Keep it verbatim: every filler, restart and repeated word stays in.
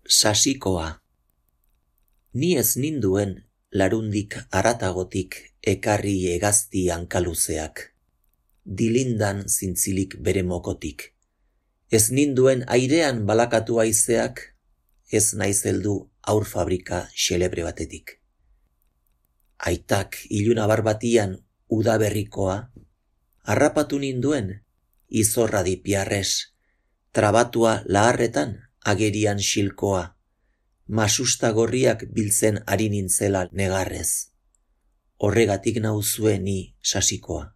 Sasikoa. Ni ez ninduen larundik aratagotik ekarri hegazti hankaluzeak, dilindan zintzilik bere mokotik. Ez ninduen airean balakatu haizeak, ez naiz heldu aur fabrika xelebre batetik. Aitak ilunabar batian udaberrikoa, harrapatu ninduen izorra dipiarres, trabatua laharretan agerian xilkoa, masusta gorriak biltzen ari nintzela negarrez. Horregatik nauzue ni sasikoa.